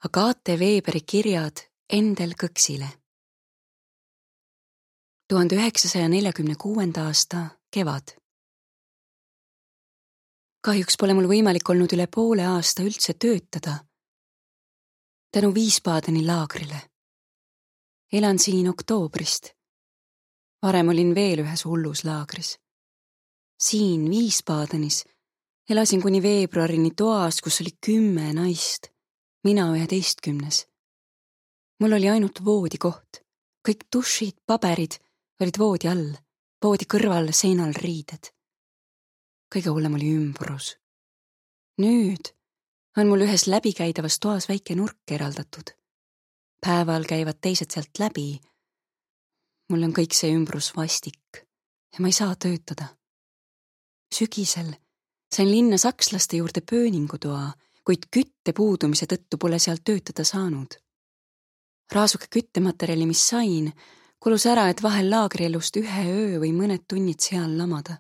Agate Weberi kirjad Endel Kõksile. 1946. aasta kevad. Kahjuks pole mul võimalik olnud üle poole aasta üldse töötada. Tänu Wiesbadeni laagrile. Elan siin oktoobrist. Varem olin veel ühes hullus laagris. Siin Wiesbadenis elasin kuni veebruarini toas, kus oli 10 naist. Mina 11. Mul oli ainult voodikoht. Kõik dušid, paberid olid voodi all, voodi kõrval seinal riided. Kõige hullem oli ümbrus. Nüüd on mul ühes läbikäidavas toas väike nurk eraldatud. Päeval käivad teised sealt läbi. Mul on kõik see ümbrus vastik ja ma ei saa töötada. Sügisel sain linna sakslaste juurde pööningutoa, kuid kütte puudumise tõttu pole seal töötada saanud. Raasuke küttematerjali, mis sain, kulus ära, et vahel laagrielust 1 öö või mõned tunnid seal lamada.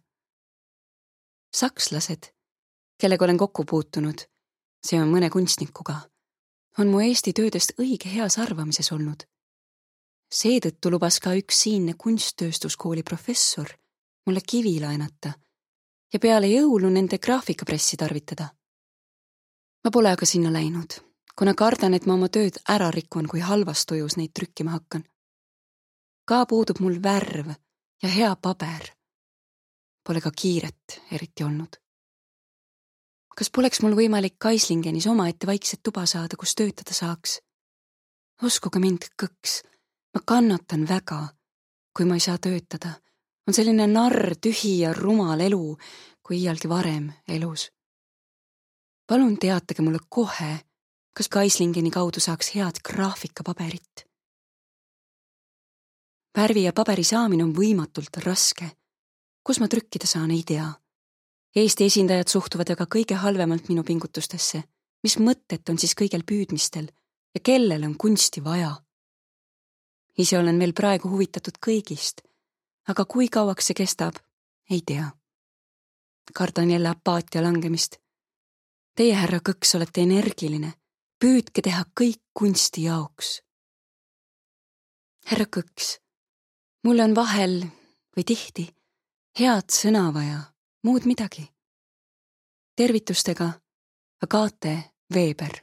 Sakslased, kellega olen kokku puutunud, see on mõne kunstnikuga, on mu Eesti töödest õige heas arvamises olnud. Seetõttu lubas ka üks siinne kunsttööstuskooli professor mulle kivi laenata ja peale jõulu nende graafikapressi tarvitada. Ma pole aga sinna läinud, kuna kardan, et ma oma tööd ära rikun, kui halvas tujus neid trükkima hakkan. Ka puudub mul värv ja hea paber. Pole ka kiiret eriti olnud. Kas poleks mul võimalik Kaislingenis omaette vaikset tuba saada, kus töötada saaks? Uskuge mind, Kõks, ma kannatan väga, kui ma ei saa töötada. On selline narr, tühi ja rumal elu, kui iialgi varem elus. Palun teatage mulle kohe, kas Kaislingeni kaudu saaks head graafikapaberit. Värvi ja paberi saamine on võimatult raske. Kus ma trükkida saan, ei tea. Eesti esindajad suhtuvad aga kõige halvemalt minu pingutustesse. Mis mõtet on siis kõigel püüdmistel ja kellel on kunsti vaja? Ise olen veel praegu huvitatud kõigist, aga kui kauaks see kestab, ei tea. Kardan jälle apaatia langemist. Teie, härra Kõks, olete energiline. Püüdke teha kõik kunsti jaoks. Härra Kõks, mulle on vahel või tihti head sõna vaja, muud midagi. Tervitustega Agate Weber.